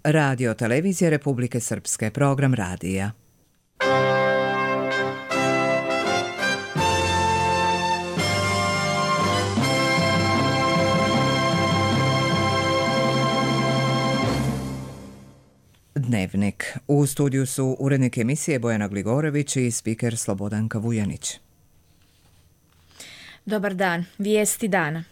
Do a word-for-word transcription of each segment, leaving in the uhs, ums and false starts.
Radio Televizije Republike Srpske, program radija. Dnevnik. U studiju su urednik emisije Bojana Gligorović i spiker Slobodanka Vujanić. Dobar dan. Vijesti dana.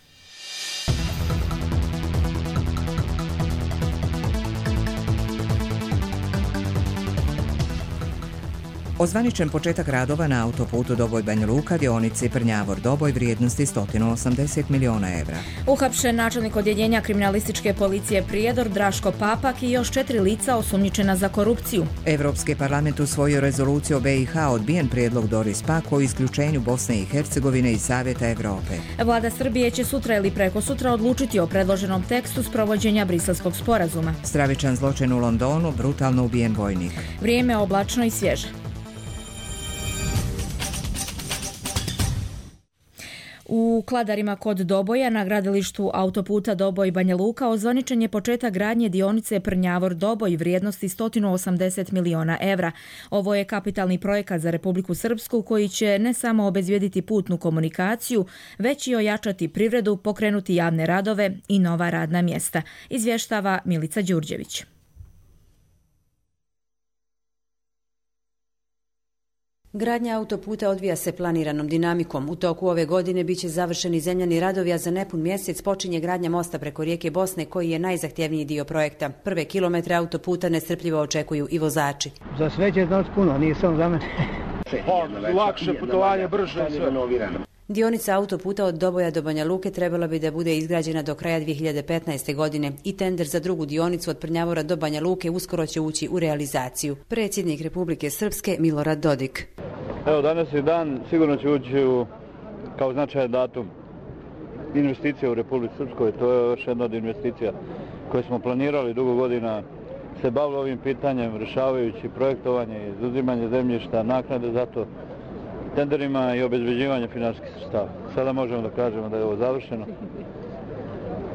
Ozvaničen početak radova na autoputu Doboj-Banja Luka, dionici Prnjavor-Doboj vrijednosti sto osamdeset miliona evra. Uhapšen načelnik odjeljenja kriminalističke policije Prijedor Draško Papak i još četiri lica osumnjičena za korupciju. Evropski parlament usvojio rezoluciju o B i H, odbijen prijedlog Doris Pack o isključenju Bosne i Hercegovine iz Savjeta Evrope. Vlada Srbije će sutra ili preko sutra odlučiti o predloženom tekstu sprovođenja Briselskog sporazuma. Stravičan zločin u Londonu, brutalno ubijen vojnik. Vrijeme oblačno i svježe. U Kladarima kod Doboja na gradilištu autoputa Doboj-Banja Luka ozvaničen je početak gradnje dionice Prnjavor-Doboj vrijednosti sto osamdeset miliona evra. Ovo je kapitalni projekat za Republiku Srpsku koji će ne samo obezbijediti putnu komunikaciju, već i ojačati privredu, pokrenuti javne radove i nova radna mjesta, izvještava Milica Đurđević. Gradnja autoputa odvija se planiranom dinamikom. U toku ove godine biće završeni zemljani radovi, a za nepun mjesec počinje gradnja mosta preko rijeke Bosne, koji je najzahtjevniji dio projekta. Prve kilometre autoputa nestrpljivo očekuju i vozači. Za sve će znači puno, nije samo za mene. Lakše putovanje, brže sve. Dionica autoputa od Doboja do Banja Luke trebala bi da bude izgrađena do kraja dvije hiljade petnaeste. godine i tender za drugu dionicu od Prnjavora do Banja Luke uskoro će ući u realizaciju. Predsjednik Republike Srpske Milorad Dodik. Evo, danas je dan, sigurno će ući u, kao značajan datum investicija u Republici Srpskoj. To je još jedna od investicija koje smo planirali dugo godina, se bavili ovim pitanjem, rješavajući projektovanje, izuzimanje zemljišta, naknade za to, tenderima i obezbeđivanje finansijskih sredstava. Sada možemo da kažemo da je ovo završeno.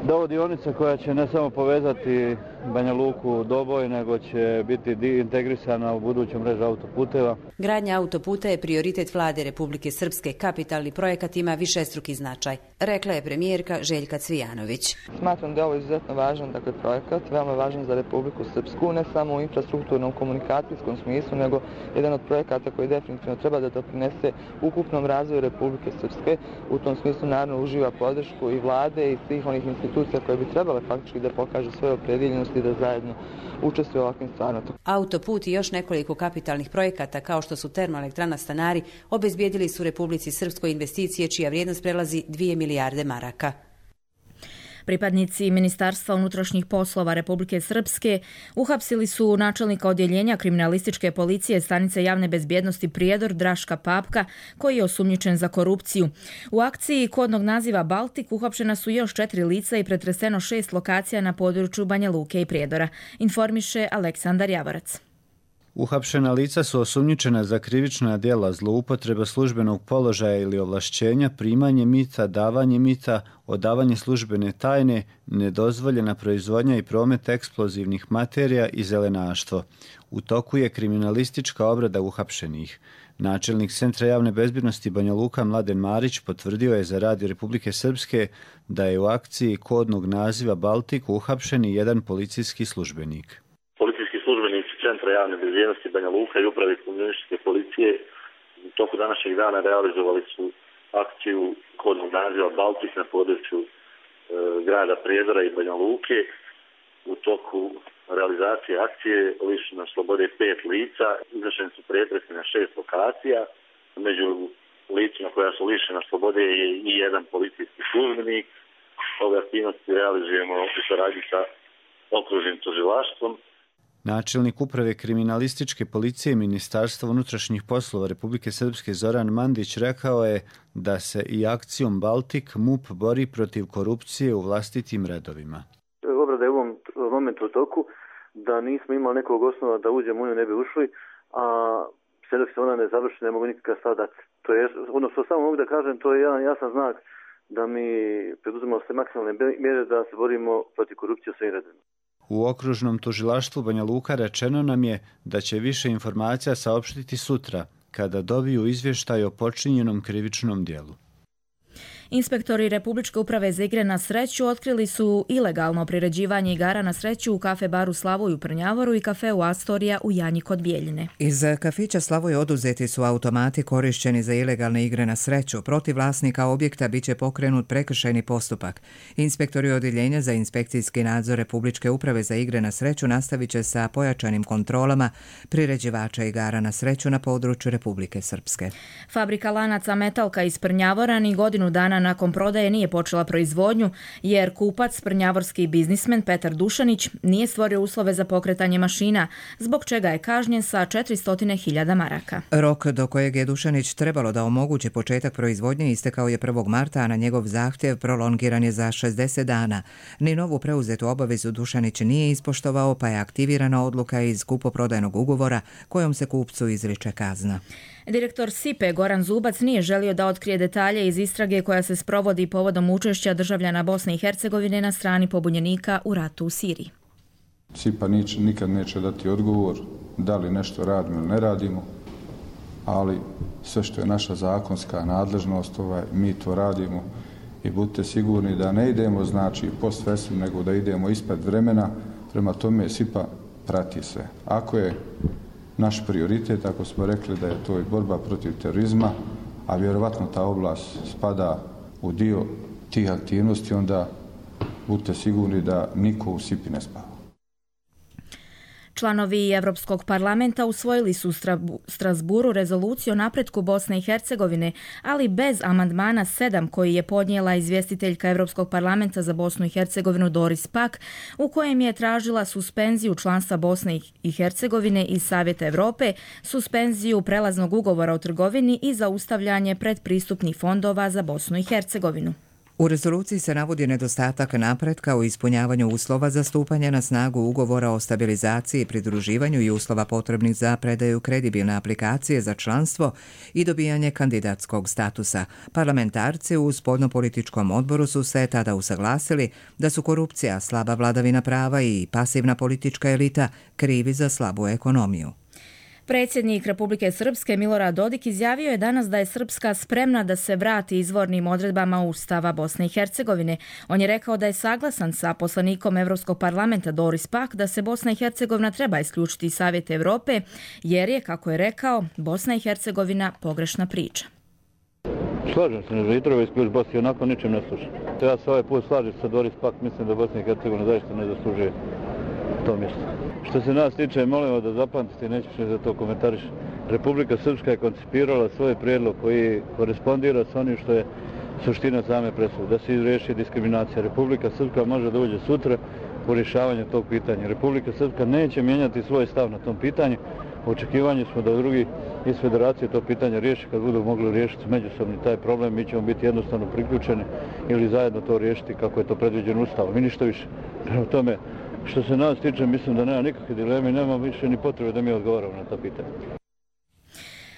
Da je ovo dionica koja će ne samo povezati Banja Luku Doboj, nego će biti integrisana u buduću mrežu autoputeva. Gradnja autoputa je prioritet vlade Republike Srpske. Kapitalni projekat ima višestruki značaj, rekla je premijerka Željka Cvijanović. Smatram da je ovo izuzetno važan dakle, projekat, veoma važan za Republiku Srpsku, ne samo u infrastrukturnom komunikacijskom smislu, nego jedan od projekata koji definitivno treba da doprinese ukupnom razvoju Republike Srpske. U tom smislu naravno uživa podršku i vlade i svih onih institucija koje bi trebale faktički da pokažu svoje opredjeljenosti i da zajedno učestvuju u ovakvim stvarima. Autoput i još nekoliko kapitalnih projekata kao što su termoelektrana Stanari obezbijedili su Republici Srpskoj investicije čija vrijednost prelazi dvije milijarde maraka. Pripadnici Ministarstva unutrašnjih poslova Republike Srpske uhapsili su načelnika odjeljenja kriminalističke policije stanice javne bezbjednosti Prijedor Draška Papka, koji je osumnjičen za korupciju. U akciji kodnog naziva Baltik uhapšena su još četiri lica i pretreseno šest lokacija na području Banja Luke i Prijedora, informiše Aleksandar Javorac. Uhapšena lica su osumnjičena za krivična djela zloupotreba službenog položaja ili ovlašćenja, primanje mita, davanje mita, odavanje službene tajne, nedozvoljena proizvodnja i promet eksplozivnih materija i zelenaštvo. U toku je kriminalistička obrada uhapšenih. Načelnik Centra javne bezbjednosti Banja Luka Mladen Marić potvrdio je za Radio Republike Srpske da je u akciji kodnog naziva Baltik uhapšen i jedan policijski službenik. Centra javne bezbjednosti Banja Luka i uprave kriminalističke policije u toku današnjeg dana realizovali su akciju kodnog naziva Baltik na području e, grada Prijedora i Banja Luke. U toku realizacije akcije lišeno na slobode pet lica, izvršeni su pretresi na šest lokacija. Među licima koja su lišena slobode je i jedan policijski službenik. Ove aktivnosti realizujemo u saradnji sa okružnim tužilaštvom. Načelnik uprave kriminalističke policije Ministarstva unutrašnjih poslova Republike Srpske Zoran Mandić rekao je da se i akcijom Baltik M U P bori protiv korupcije u vlastitim redovima. Obrada je u ovom momentu u toku, da nismo imali nekog osnova da uđemo u nju ne bi ušli, a sve dok se ona ne završi ne mogu nikakav stav dati. To je, odnosno samo mogu da kažem, to je jedan jasan znak da mi preduzimamo sve maksimalne mjere da se borimo protiv korupcije u svim redovima. U okružnom tužilaštvu Banja Luka rečeno nam je da će više informacija saopštiti sutra, kada dobiju izvještaj o počinjenom krivičnom dijelu. Inspektori Republičke uprave za igre na sreću otkrili su ilegalno priređivanje igara na sreću u kafe baru Slavoj u Prnjavoru i kafeu Astorija u Janji kod Bijeljine. Iz kafića Slavoj oduzeti su automati korišćeni za ilegalne igre na sreću. Protiv vlasnika objekta biće pokrenut prekršajni postupak. Inspektori odjeljenja za inspekcijski nadzor Republičke uprave za igre na sreću nastavit će sa pojačanim kontrolama priređivača igara na sreću na području Republike Srpske. Fabrika lanaca Metalka iz Prnjavora ni godinu dana nakon prodaje nije počela proizvodnju jer kupac, prnjavorski biznismen Petar Dušanić, nije stvorio uslove za pokretanje mašina, zbog čega je kažnjen sa četiristo hiljada maraka. Rok do kojeg je Dušanić trebalo da omogući početak proizvodnje istekao je prvog marta, a na njegov zahtjev prolongiran je za šezdeset dana. Ni novu preuzetu obavezu Dušanić nije ispoštovao, pa je aktivirana odluka iz kupoprodajnog ugovora kojom se kupcu izriče kazna. Direktor S I P E Goran Zubac nije želio da otkrije detalje iz istrage koja se sprovodi povodom učešća državljana Bosne i Hercegovine na strani pobunjenika u ratu u Siriji. S I P A nič, nikad neće dati odgovor da li nešto radimo ili ne radimo, ali sve što je naša zakonska nadležnost, ovaj, mi to radimo i budite sigurni da ne idemo znači post festum, nego da idemo ispred vremena. Prema tome S I P A prati sve. Ako je naš prioritet, ako smo rekli da je to i borba protiv terorizma, a vjerovatno ta oblast spada u dio tih aktivnosti, onda budite sigurni da niko u S I P I ne spava. Članovi Evropskog parlamenta usvojili su u Strasburu rezoluciju o napretku Bosne i Hercegovine, ali bez amandmana sedam koji je podnijela izvjestiteljka Evropskog parlamenta za Bosnu i Hercegovinu Doris Pack, u kojem je tražila suspenziju članstva Bosne i Hercegovine iz Savjeta Europe, suspenziju prelaznog ugovora o trgovini i zaustavljanje predpristupnih fondova za Bosnu i Hercegovinu. U rezoluciji se navodi nedostatak napretka u ispunjavanju uslova za stupanje na snagu ugovora o stabilizaciji i pridruživanju i uslova potrebnih za predaju kredibilne aplikacije za članstvo i dobijanje kandidatskog statusa. Parlamentarci u spoljnopolitičkom odboru su se tada usaglasili da su korupcija, slaba vladavina prava i pasivna politička elita krivi za slabu ekonomiju. Predsjednik Republike Srpske Milorad Dodik izjavio je danas da je Srpska spremna da se vrati izvornim odredbama Ustava Bosne i Hercegovine. On je rekao da je saglasan sa poslanikom Evropskog parlamenta Doris Pack da se Bosna i Hercegovina treba isključiti iz Savjeta Europe, jer je, kako je rekao, Bosna i Hercegovina pogrešna priča. Slažem se, ne treba isključiti Bosnu i onako ničem ne sluša. Ja se ovaj put slažem sa Doris Pack, mislim da Bosna i Hercegovina zaista ne zaslužuje to mjesto. Što se nas tiče, molimo da zapamtite, neću što za to komentariš. Republika Srpska je koncipirala svoj prijedlog koji korespondira s onim što je suština same presude, da se izriješi diskriminacija. Republika Srpska može da uđe sutra u rješavanje tog pitanja. Republika Srpska neće mijenjati svoj stav na tom pitanju. U očekivanju smo da drugi iz federacije to pitanje riješi. Kad budu mogli riješiti međusobni taj problem, mi ćemo biti jednostavno priključeni ili zajedno to riješiti kako je to predviđeno Ustavom. I ništa više. Prema tome, što se nas tiče, mislim da nema nikakve dileme i nema više ni potrebe da mi odgovaramo na ta pitanja.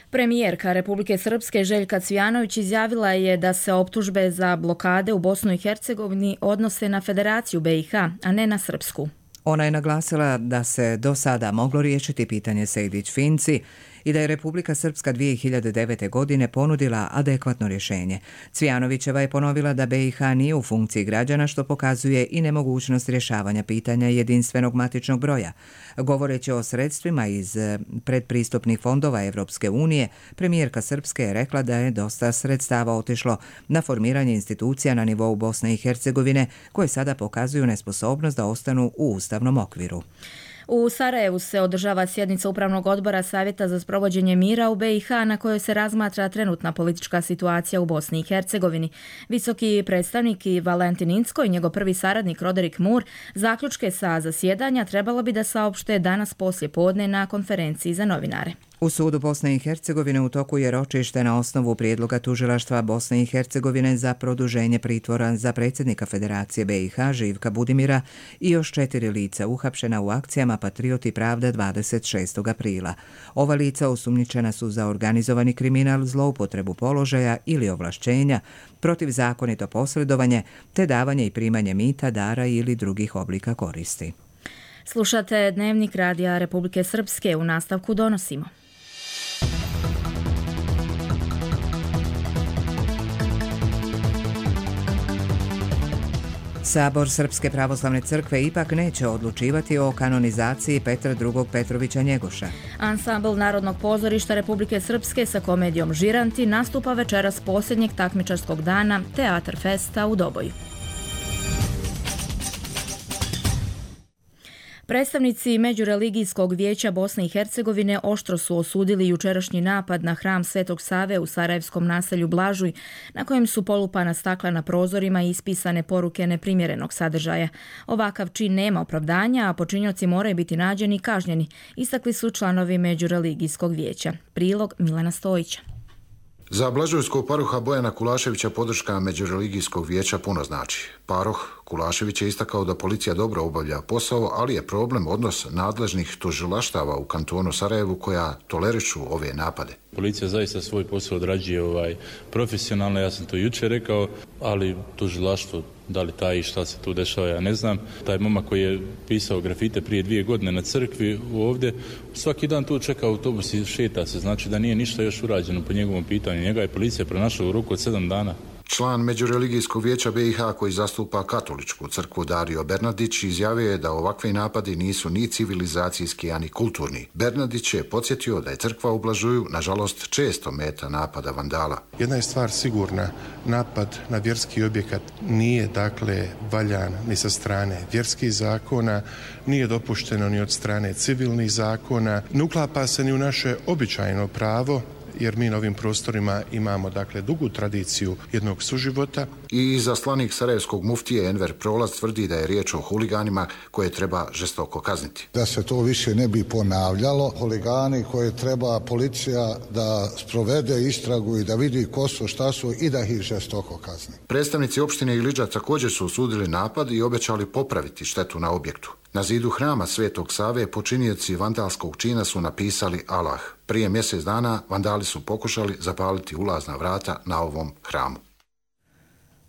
Premijerka Republike Srpske Željka Cvijanović izjavila je da se optužbe za blokade u Bosnu i Hercegovini odnose na Federaciju B i H, a ne na Srpsku. Ona je naglasila da se do sada moglo riješiti pitanje Sejdić-Finci i da je Republika Srpska dvije hiljade devete. godine ponudila adekvatno rješenje. Cvijanovićeva je ponovila da B i H nije u funkciji građana, što pokazuje i nemogućnost rješavanja pitanja jedinstvenog matičnog broja. Govoreći o sredstvima iz predpristupnih fondova Evropske unije, premijerka Srpske je rekla da je dosta sredstava otišlo na formiranje institucija na nivou Bosne i Hercegovine, koje sada pokazuju nesposobnost da ostanu u ustavnom okviru. U Sarajevu se održava sjednica Upravnog odbora Savjeta za sprovođenje mira u B i H na kojoj se razmatra trenutna politička situacija u Bosni i Hercegovini. Visoki predstavnik Valentin Incko i njegov prvi saradnik Roderick Moore zaključke sa zasjedanja trebalo bi da saopšte danas poslije podne na konferenciji za novinare. U sudu Bosne i Hercegovine u toku je ročište na osnovu prijedloga tužilaštva Bosne i Hercegovine za produženje pritvora za predsjednika Federacije B i H Živka Budimira i još četiri lica uhapšena u akcijama Patrioti pravde dvadeset šestog aprila. Ova lica osumnjičena su za organizovani kriminal, zloupotrebu položaja ili ovlašćenja, protivzakonito posredovanje te davanje i primanje mita, dara ili drugih oblika koristi. Slušate Dnevnik Radija Republike Srpske, u nastavku donosimo. Sabor Srpske pravoslavne crkve ipak neće odlučivati o kanonizaciji Petra drugog Petrovića Njegoša. Ansambl Narodnog pozorišta Republike Srpske sa komedijom Žiranti nastupa večeras posljednjeg takmičarskog dana Teatar Festa u Doboju. Predstavnici Međureligijskog vijeća Bosne i Hercegovine oštro su osudili jučerašnji napad na hram Svetog Save u sarajevskom naselju Blažuj, na kojem su polupana stakla na prozorima i ispisane poruke neprimjerenog sadržaja. Ovakav čin nema opravdanja, a počinioci moraju biti nađeni i kažnjeni, istakli su članovi Međureligijskog vijeća. Prilog Milana Stojića. Za blažujskog paroha Bojana Kulaševića podrška Međureligijskog vijeća puno znači. Paroh Kulašević je istakao da policija dobro obavlja posao, ali je problem odnos nadležnih tužilaštava u kantonu Sarajevu koja tolerišu ove napade. Policija zaista svoj posao odrađuje ovaj, profesionalno, ja sam to jučer rekao, ali tužilaštvo, da li taj i šta se tu dešava, ja ne znam. Taj momak koji je pisao grafite prije dvije godine na crkvi ovdje, svaki dan tu čeka autobus i šeta se, znači da nije ništa još urađeno po njegovom pitanju. Njega je policija pronašla u roku od sedam dana. Član Međureligijskog vijeća B i H koji zastupa katoličku crkvu Dario Bernardić izjavio je da ovakvi napadi nisu ni civilizacijski, ani kulturni. Bernardić je podsjetio da je crkva u Blažuju, nažalost, često meta napada vandala. Jedna je stvar sigurna, napad na vjerski objekat nije dakle valjan ni sa strane vjerskih zakona, nije dopušteno ni od strane civilnih zakona, ne uklapa se ni u naše običajno pravo, jer mi na ovim prostorima imamo dakle dugu tradiciju jednog suživota. I izaslanik sarajevskog muftije Enver Prolaz tvrdi da je riječ o huliganima koje treba žestoko kazniti. Da se to više ne bi ponavljalo, huligani koje treba policija da sprovede istragu i da vidi ko su, šta su i da ih žestoko kazni. Predstavnici opštine Ilidža također su osudili napad i obećali popraviti štetu na objektu. Na zidu hrama Svetog Save počinioci vandalskog čina su napisali Allah. Prije mjesec dana vandali su pokušali zapaliti ulazna vrata na ovom hramu.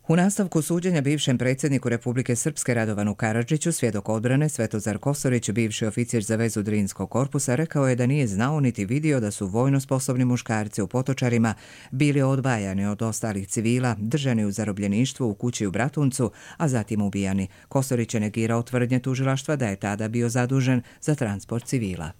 U nastavku suđenja bivšem predsjedniku Republike Srpske Radovanu Karadžiću, svjedok odbrane Svetozar Kosorić, bivši oficir za vezu Drinskog korpusa, rekao je da nije znao niti vidio da su vojno sposobni muškarci u Potočarima bili odvajani od ostalih civila, držani u zarobljeništvu u kući u Bratuncu, a zatim ubijani. Kosorić je negirao tvrdnje tužilaštva da je tada bio zadužen za transport civila.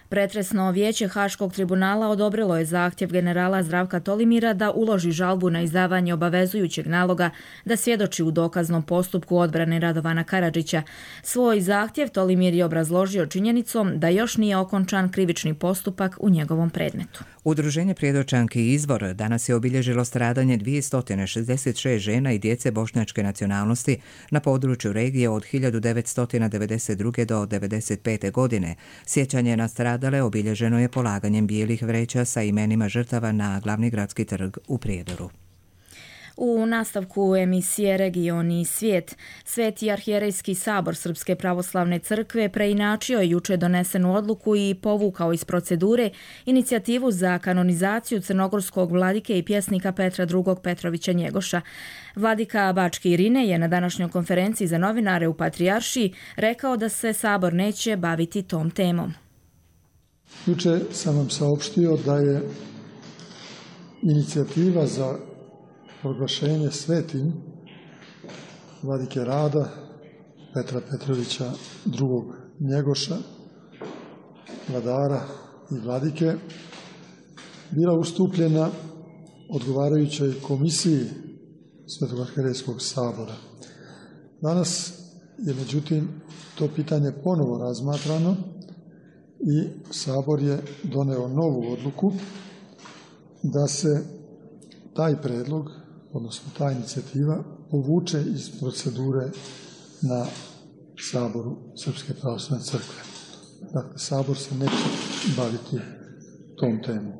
Pretresno vijeće Haškog tribunala odobrilo je zahtjev generala Zdravka Tolimira da uloži žalbu na izdavanje obavezujućeg naloga da svjedoči u dokaznom postupku odbrane Radovana Karadžića. Svoj zahtjev Tolimir je obrazložio činjenicom da još nije okončan krivični postupak u njegovom predmetu. Udruženje Prijedočanki Izvor danas je obilježilo stradanje dvjesto šezdeset šest žena i djece bošnjačke nacionalnosti na području regije od hiljadu devetsto devedeset druge do devedeset pete godine. Sjećanje na stradale obilježeno je polaganjem bijelih vreća sa imenima žrtava na glavni gradski trg u Prijedoru. U nastavku emisije Region i svijet, Sveti arhijerejski sabor Srpske pravoslavne crkve preinačio je juče donesenu odluku i povukao iz procedure inicijativu za kanonizaciju crnogorskog vladike i pjesnika Petra drugog Petrovića Njegoša. Vladika Bački Irine je na današnjoj konferenciji za novinare u Patrijaršiji rekao da se sabor neće baviti tom temom. Juče sam vam saopštio da je inicijativa za proglašenje svetim vladike Rada Petra Petrovića drugog Njegoša, vladara i vladike, bila ustupljena odgovarajućoj komisiji Svetog arhijerejskog sabora. Danas je međutim to pitanje ponovo razmatrano i sabor je doneo novu odluku da se taj predlog, odnosno ta inicijativa, povuče iz procedure na saboru Srpske pravoslavne crkve. Dakle, sabor se neće baviti tom temom.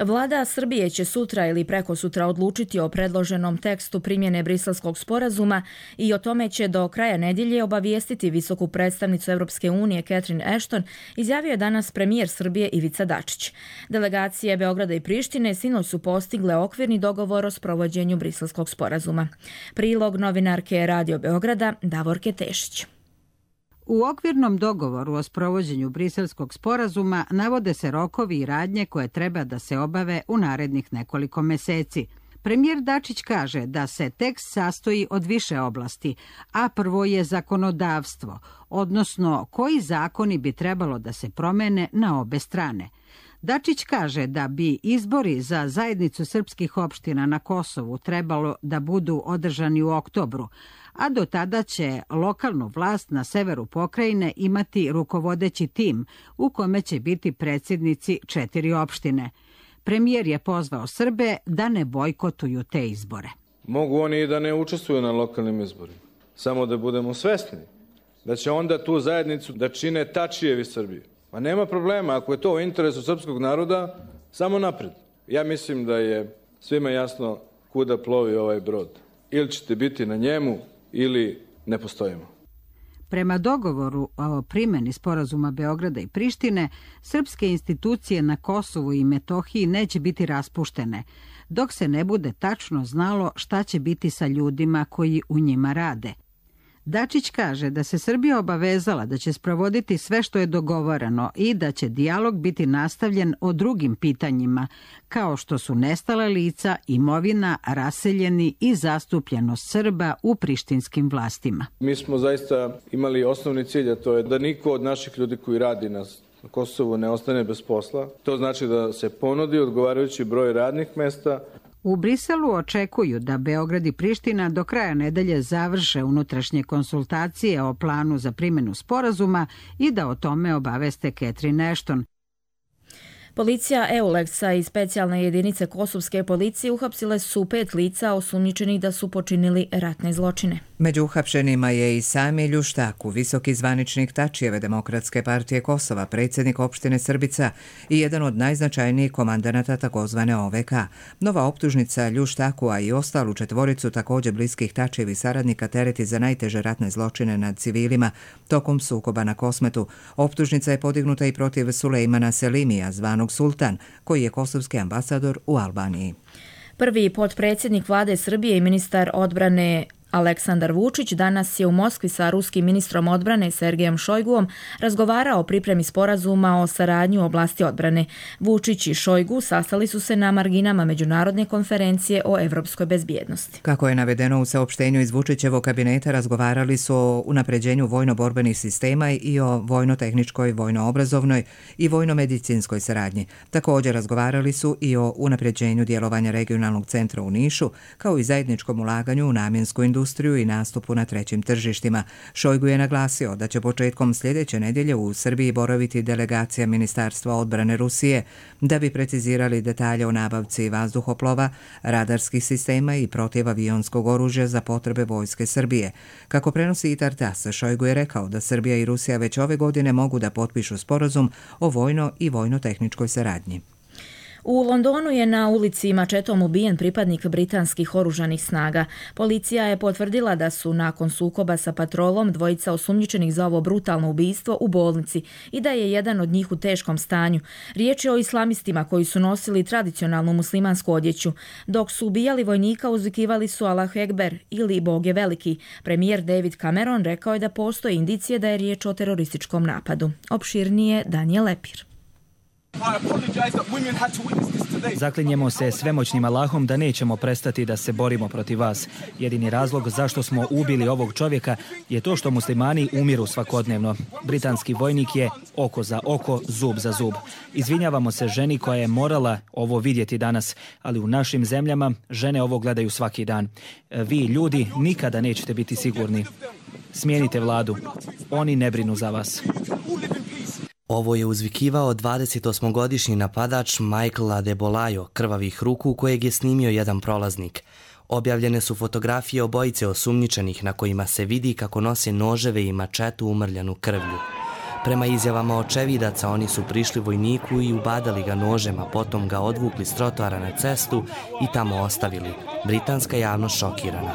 Vlada Srbije će sutra ili prekosutra odlučiti o predloženom tekstu primjene Briselskog sporazuma i o tome će do kraja nedjelje obavijestiti visoku predstavnicu Europske unije Catherine Ashton, izjavio je danas premijer Srbije Ivica Dačić. Delegacije Beograda i Prištine sinoć su postigle okvirni dogovor o sprovođenju Briselskog sporazuma. Prilog novinarke Radio Beograda Davorke Tešić. U okvirnom dogovoru o sprovođenju Briselskog sporazuma navode se rokovi i radnje koje treba da se obave u narednih nekoliko meseci. Premijer Dačić kaže da se tekst sastoji od više oblasti, a prvo je zakonodavstvo, odnosno koji zakoni bi trebalo da se promene na obe strane. Dačić kaže da bi izbori za zajednicu srpskih opština na Kosovu trebalo da budu održani u oktobru, a do tada će lokalnu vlast na severu pokrajine imati rukovodeći tim u kome će biti predsjednici četiri opštine. Premijer je pozvao Srbe da ne bojkotuju te izbore. Mogu oni i da ne učestvuju na lokalnim izborima, samo da budemo svesni da će onda tu zajednicu da čine Tačijevi Srbije. Pa nema problema, ako je to u interesu srpskog naroda, samo napred. Ja mislim da je svima jasno kuda plovi ovaj brod. Ili ćete biti na njemu, ili ne postojimo. Prema dogovoru o primjeni sporazuma Beograda i Prištine, srpske institucije na Kosovu i Metohiji neće biti raspuštene, dok se ne bude tačno znalo šta će biti sa ljudima koji u njima rade. Dačić kaže da se Srbija obavezala da će sprovoditi sve što je dogovoreno i da će dijalog biti nastavljen o drugim pitanjima, kao što su nestala lica, imovina, raseljeni i zastupljenost Srba u prištinskim vlastima. Mi smo zaista imali osnovni cilj, a to je da niko od naših ljudi koji radi na Kosovu ne ostane bez posla. To znači da se ponudi odgovarajući broj radnih mesta. U Briselu očekuju da Beograd i Priština do kraja nedelje završe unutrašnje konsultacije o planu za primjenu sporazuma i da o tome obaveste Catherine Ashton. Policija Euleksa i specijalne jedinice kosovske policije uhapsile su pet lica osumnjičenih da su počinili ratne zločine. Među uhapšenima je i Sami Ljuštaku, visoki zvaničnik Tačijeve Demokratske partije Kosova, predsjednik opštine Srbica i jedan od najznačajnijih komandanata takozvane O V K. Nova optužnica Ljuštaku, a i ostalu četvoricu također bliskih Tačijevi saradnika tereti za najteže ratne zločine nad civilima tokom sukoba na Kosmetu. Optužnica je podignuta i protiv Sulejmana Selimija, zvanog Sultan, koji je kosovski ambasador u Albaniji. Prvi potpredsjednik vlade Srbije i ministar odbrane Aleksandar Vučić danas je u Moskvi sa ruskim ministrom odbrane Sergejem Šojguom razgovarao o pripremi sporazuma o saradnji u oblasti odbrane. Vučić i Šojgu sastali su se na marginama međunarodne konferencije o evropskoj bezbjednosti. Kako je navedeno u saopštenju iz Vučićevog kabineta, razgovarali su o unapređenju vojno-borbenih sistema i o vojno-tehničkoj, vojno-obrazovnoj i vojno-medicinskoj saradnji. Također razgovarali su i o unapređenju djelovanja regionalnog centra u Nišu, kao i zajedničkom ulaganju u namjensku industriju industriju i nastupu na trećim tržištima. Šojgu je naglasio da će početkom sljedeće nedjelje u Srbiji boraviti delegacija Ministarstva odbrane Rusije da bi precizirali detalje o nabavci vazduhoplova, radarskih sistema i protivavionskog oružja za potrebe vojske Srbije. Kako prenosi Itar-Tas, Šojgu je rekao da Srbija i Rusija već ove godine mogu da potpišu sporazum o vojno i vojno-tehničkoj saradnji. U Londonu je na ulici mačetom ubijen pripadnik britanskih oružanih snaga. Policija je potvrdila da su nakon sukoba sa patrolom dvojica osumnjičenih za ovo brutalno ubistvo u bolnici i da je jedan od njih u teškom stanju. Riječ je o islamistima koji su nosili tradicionalnu muslimansku odjeću. Dok su ubijali vojnika, uzvikivali su Allahu Ekber ili Bog je veliki. Premijer David Cameron rekao je da postoje indicije da je riječ o terorističkom napadu. Opširnije Daniel Lepir. Zaklinjemo se svemoćnim Allahom da nećemo prestati da se borimo protiv vas. Jedini razlog zašto smo ubili ovog čovjeka je to što muslimani umiru svakodnevno. Britanski vojnik je oko za oko, zub za zub. Izvinjavamo se ženi koja je morala ovo vidjeti danas, ali u našim zemljama žene ovo gledaju svaki dan. Vi, ljudi, nikada nećete biti sigurni. Smijenite vladu. Oni ne brinu za vas. Ovo je uzvikivao dvadesetosmogodišnji napadač Michael Adebolajo, krvavih ruku kojeg je snimio jedan prolaznik. Objavljene su fotografije obojice osumnjičenih na kojima se vidi kako nose noževe i mačetu umrljanu krvlju. Prema izjavama očevidaca, oni su prišli vojniku i ubadali ga nožem, a potom ga odvukli s trotoara na cestu i tamo ostavili. Britanska javnost šokirana.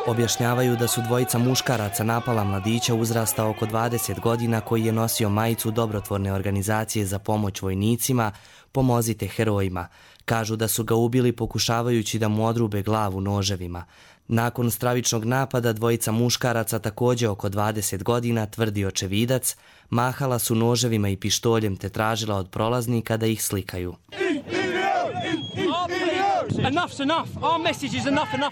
Objašnjavaju da su dvojica muškaraca napala mladića uzrasta oko dvadeset godina koji je nosio majicu dobrotvorne organizacije za pomoć vojnicima Pomozite herojima. Kažu da su ga ubili pokušavajući da mu odrube glavu noževima. Nakon stravičnog napada dvojica muškaraca također oko dvadeset godina, tvrdi očevidac, mahala su noževima i pištoljem te tražila od prolaznika da ih slikaju.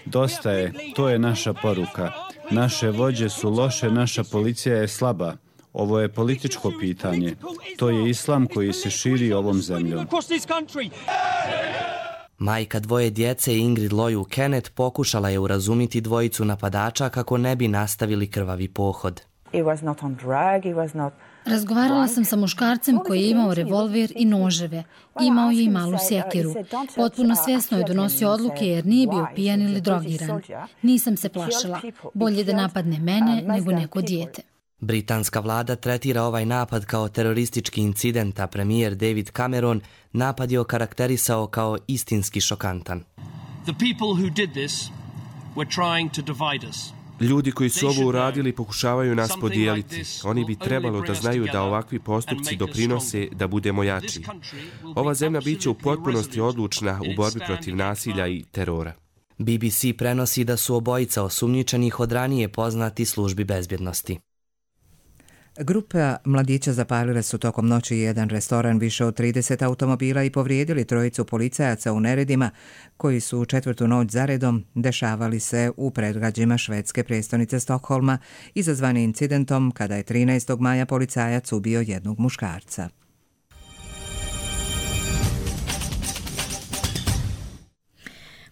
Dosta je, to je naša poruka. Naše vođe su loše, naša policija je slaba. Ovo je političko pitanje. To je islam koji se širi ovom zemljom. Majka dvoje djece Ingrid Loju Kenneth pokušala je urazumiti dvojicu napadača kako ne bi nastavili krvavi pohod. Razgovarala sam sa muškarcem koji je imao revolver i noževe. Imao je i malu sjekiru. Potpuno svjesno je donosio odluke jer nije bio pijan ili drogiran. Nisam se plašila. Bolje da napadne mene nego neko dijete. Britanska vlada tretira ovaj napad kao teroristički incident, a premijer David Cameron napad je okarakterisao kao istinski šokantan. Ljudi koji su ovo uradili pokušavaju nas podijeliti. Oni bi trebalo da znaju da ovakvi postupci doprinose da budemo jači. Ova zemlja biće u potpunosti odlučna u borbi protiv nasilja i terora. B B C prenosi da su obojica osumnjičenih od ranije poznati službi bezbjednosti. Grupa mladića zapalile su tokom noći jedan restoran, više od trideset automobila i povrijedili trojicu policajaca u neredima koji su u četvrtu noć zaredom dešavali se u predgrađima švedske prijestolnice Stokholma, izazvani incidentom kada je trinaestog maja policajac ubio jednog muškarca.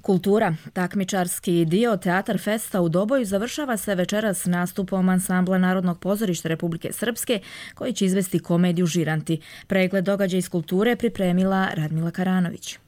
Kultura. Takmičarski dio Teatar Festa u Doboju završava se večeras nastupom ansambla Narodnog pozorišta Republike Srpske koji će izvesti komediju Žiranti. Pregled događaja iz kulture pripremila Radmila Karanović.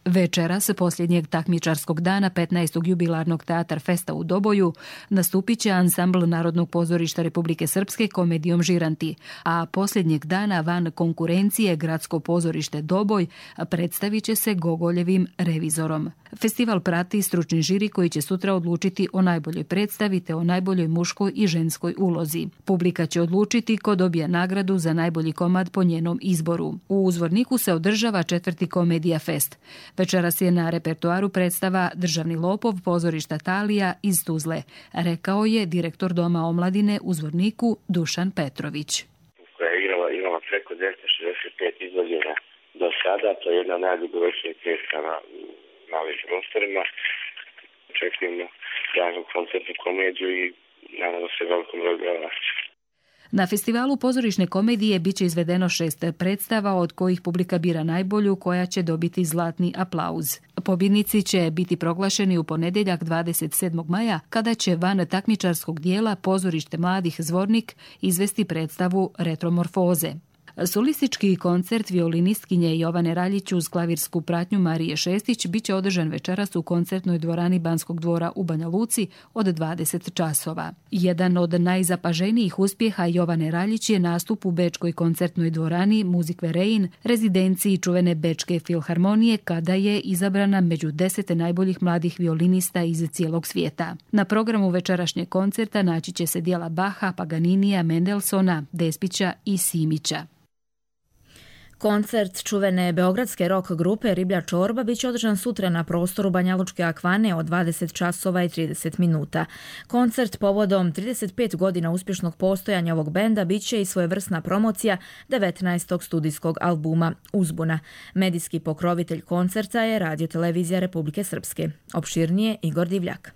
Večeras, posljednjeg takmičarskog dana petnaestog jubilarnog Teatar Festa u Doboju, nastupit će ansambl Narodnog pozorišta Republike Srpske komedijom Žiranti, a posljednjeg dana van konkurencije Gradsko pozorište Doboj predstavit će se Gogoljevim Revizorom. Festival prati stručni žiri koji će sutra odlučiti o najboljoj predstavi te o najboljoj muškoj i ženskoj ulozi. Publika će odlučiti ko dobija nagradu za najbolji komad po njenom izboru. U Uzvorniku se održava četvrti Komedija Fest. Večeras je na repertoaru predstava Državni lopov pozorišta Talija iz Tuzle, rekao je direktor Doma omladine u Zvorniku Dušan Petrović. Koja je igrala, imala preko dvjesto šezdeset pet izvođenja do sada, to je jedna najdugovečnijih predstava na ovim prostorima. Očekujemo javnu koncertnu komediju i nadamo se velikom broju gledalaca. Na festivalu pozorišne komedije bit će izvedeno šest predstava, od kojih publika bira najbolju, koja će dobiti zlatni aplauz. Pobjednici će biti proglašeni u ponedjeljak dvadeset sedmog maja, kada će van takmičarskog dijela Pozorište mladih Zvornik izvesti predstavu Retromorfoze. Solistički koncert violinistkinje Jovane Raljić uz klavirsku pratnju Marije Šestić bit će održan večeras u koncertnoj dvorani Banskog dvora u Banja Luci od dvadeset časova. Jedan od najzapaženijih uspjeha Jovane Raljić je nastup u Bečkoj koncertnoj dvorani Musikverein, rezidenciji čuvene Bečke filharmonije, kada je izabrana među deset najboljih mladih violinista iz cijelog svijeta. Na programu večerašnjeg koncerta naći će se dijela Baha, Paganinija, Mendelsona, Despića i Simića. Koncert čuvene beogradske rock grupe Riblja čorba biće održan sutra na prostoru Banjalučke akvane od dvadeset časova i trideset minuta. Koncert povodom trideset pet godina uspješnog postojanja ovog benda biće i svojevrsna promocija devetnaestog studijskog albuma Uzbuna. Medijski pokrovitelj koncerta je Radio-televizija Republike Srpske. Opširnije Igor Divljak.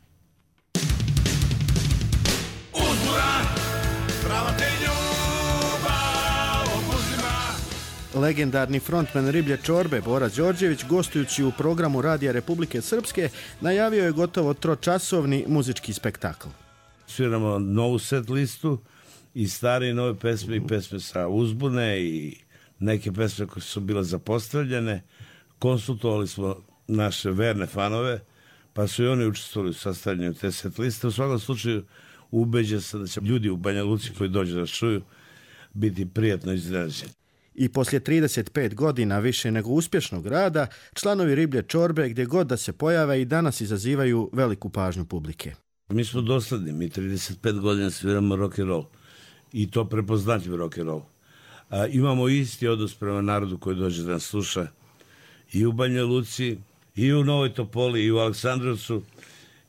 Legendarni frontman Riblje čorbe Bora Đorđević, gostujući u programu Radija Republike Srpske, najavio je gotovo tročasovni muzički spektakl. Sviramo novu set listu i stare i nove pesme i pesme sa uzbune i neke pesme koje su bile zapostavljene. Konsultovali smo naše verne fanove, pa su i oni učestvovali u sastavljanju te set liste. U svakom slučaju ubeđen sam da će ljudi u Banja Luci koji dođu da čuju biti prijatno iznenađeni. I poslije trideset pet godina više nego uspješnog rada, članovi Riblje čorbe gdje god da se pojave i danas izazivaju veliku pažnju publike. Mi smo dosledni, mi trideset pet godina sviramo rock and roll i to prepoznatljiv rock and roll. A, imamo isti odnos prema narodu koji dođe da nas sluša i u Banja Luci, i u Novoj Topoli, i u Aleksandrovcu,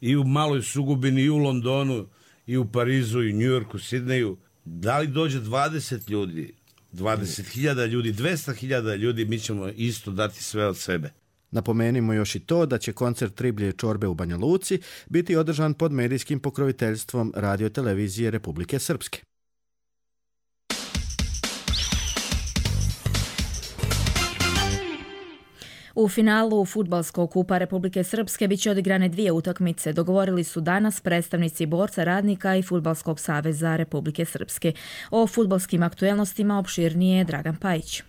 i u Maloj Sugubini, i u Londonu, i u Parizu, i u Njujorku, Sidneju. Da li dođe dvadeset ljudi, dvadeset hiljada ljudi, dvesta hiljada ljudi, mi ćemo isto dati sve od sebe. Napomenimo još i to da će koncert Riblje čorbe u Banja Luci biti održan pod medijskim pokroviteljstvom Radio-televizije Republike Srpske. U finalu fudbalskog kupa Republike Srpske biće odigrane dvije utakmice. Dogovorili su danas predstavnici Borca radnika i Fudbalskog saveza Republike Srpske. O fudbalskim aktuelnostima opširnije Dragan Pajić.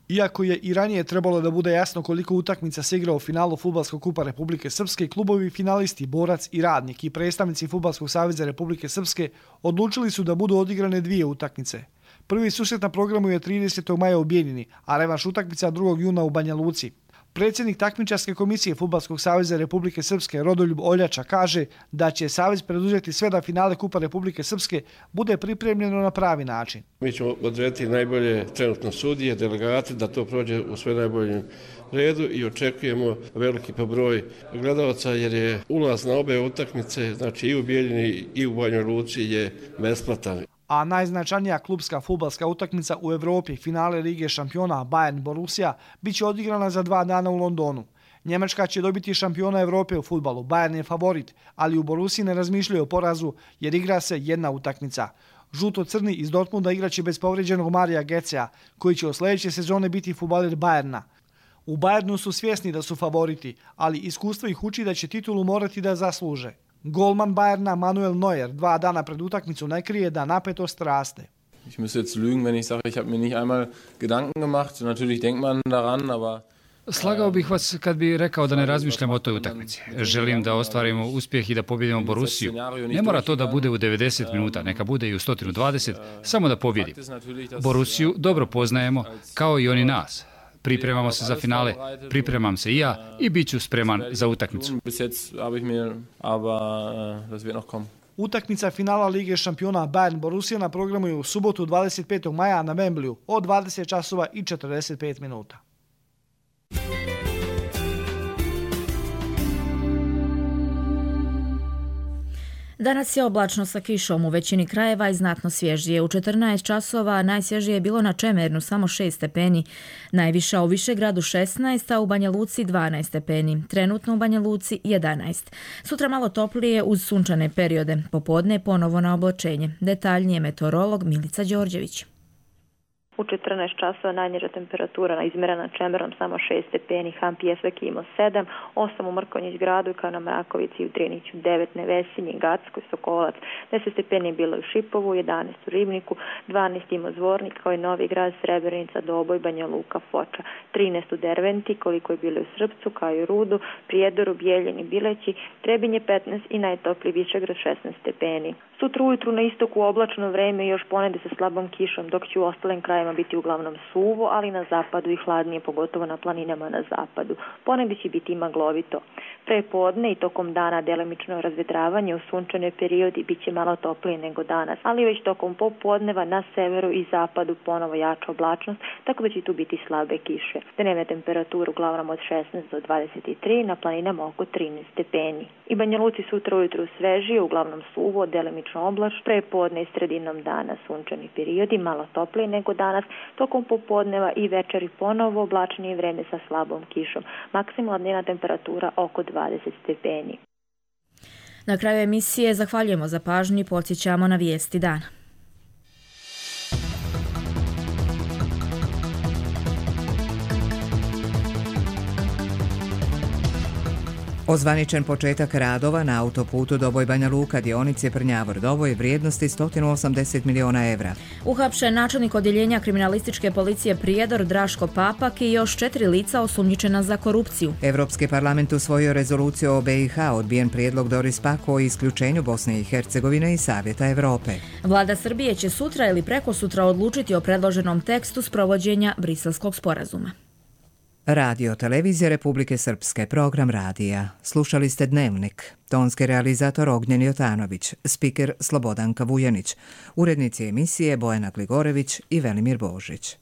Iako je i ranije trebalo da bude jasno koliko utakmica se igra u finalu Fudbalskog kupa Republike Srpske, klubovi finalisti Borac i Radnik i predstavnici Fudbalskog saveza Republike Srpske odlučili su da budu odigrane dvije utakmice. Prvi susret na programu je tridesetog maja u Bijeljini, a revanš utakmica drugog juna u Banja Luci. Predsjednik takmičarske komisije Fudbalskog saveza Republike Srpske Rodoljub Oljača kaže da će savez preduzeti sve da finale Kupa Republike Srpske bude pripremljeno na pravi način. Mi ćemo odrediti najbolje trenutno sudije, delegate, da to prođe u sve najboljem redu i očekujemo veliki pobroj gledalaca jer je ulaz na obe utakmice, znači i u Bijeljini i u Banjoj Luci je besplatan. A najznačajnija klubska fudbalska utakmica u Evropi, finale Lige šampiona Bayern Borussia, bit će odigrana za dva dana u Londonu. Njemačka će dobiti šampiona Evrope u fudbalu, Bayern je favorit, ali u Borussiji ne razmišljaju o porazu jer igra se jedna utakmica. Žuto-crni iz Dortmunda igraće bez povređenog Marija Gecea, koji će od sljedeće sezone biti fudbaler Bayerna. U Bayernu su svjesni da su favoriti, ali iskustvo ih uči da će titulu morati da zasluže. Golman Bayerna Manuel Neuer dva dana pred utakmicu ne krije da napetost raste. Ich müsste jetzt lügen, wenn ich sage, ich habe mir nicht einmal Gedanken gemacht. Natürlich denkt man daran, aber Slagao bih vas kad bi rekao da ne razmišljam o toj utakmici. Želim da ostvarimo uspjeh i da pobjedimo Borussiju. Ne mora to da bude u devedeset minuta, neka bude i u sto dvadeset, samo da pobjedim. Borussiju dobro poznajemo, kao i oni nas. Pripremamo se za finale, pripremam se i ja i bit ću spreman za utakmicu. Utakmica finala Lige šampiona Bayern Borussia na programu je u subotu dvadeset petog maja na Wembleyu od dvadeset časova i četrdeset pet minuta. Danas je oblačno sa kišom u većini krajeva i znatno svježije. U četrnaest časova najsvježije je bilo na Čemernu samo šest stepeni, najviša u Višegradu šesnaest, a u Banja Luci dvanaest stepeni. Trenutno u Banja Luci jedanaest. Sutra malo toplije uz sunčane periode. Popodne ponovo na oblačenje. Detaljnije meteorolog Milica Đorđević. U četrnaest časova najniža temperatura izmjerena Čemernom samo šest stepeni, Han Pjesvek imao sedam, osam u Mrkonjić gradu, kao na Mrakovici i u Driniću devet, Nevesinje, Gacko, Sokolac, deset stepeni je bilo u Šipovu, jedanaest u Ribniku, dvanaest ima Zvornik, kao i Novi Grad, Srebrenica, Doboj, Banja Luka, Foča, trinaest u Derventi, koliko je bilo u Srpcu, kao i u Rudu, Prijedoru, Bijeljini, Bileći, Trebinje petnaest i najtopliji Višegrad šesnaest stepeni. Sutra ujutru na istoku oblačno vreme i još ponede sa slabom kišom, dok će u ostalim krajima biti uglavnom suvo, ali na zapadu i hladnije, pogotovo na planinama na zapadu. Ponede će biti maglovito. Pre podne i tokom dana delimično razvetravanje, u sunčane periodi bit će malo toplije nego danas, ali već tokom popodneva na severu i zapadu ponovo jača oblačnost, tako da će tu biti slabe kiše. Dnevna temperatura uglavnom od šesnaest do dvadeset tri, na planinama oko trinaest stepeni. I Banja Luci sutra ujutru svežije, uglavnom suvo, delimično oblač, pre podne i sredinom dana sunčani periodi, malo toplije nego danas, tokom popodneva i večeri ponovo oblačnije vreme sa slabom kišom. Maksimalna dnevna temperatura oko dvadeset stepeni. Na kraju emisije zahvaljujemo za pažnju i podsjećamo na vijesti dana. Ozvaničen početak radova na autoputu Doboj Banja Luka dionice Prnjavor Doboj vrijednosti sto osamdeset miliona evra. Uhapšen načelnik odjeljenja kriminalističke policije Prijedor Draško Papak i još četiri lica osumnjičena za korupciju. Evropski parlament usvojio rezoluciju o B i H, odbijen prijedlog Doris Pack o isključenju Bosne i Hercegovine i Savjeta Evrope. Vlada Srbije će sutra ili prekosutra odlučiti o predloženom tekstu sprovođenja Briselskog sporazuma. Radio televizije Republike Srpske, program radija. Slušali ste Dnevnik. Tonski realizator Ognjen Jotanović, spiker Slobodanka Vujanić, urednici emisije Bojana Gligorević i Velimir Božić.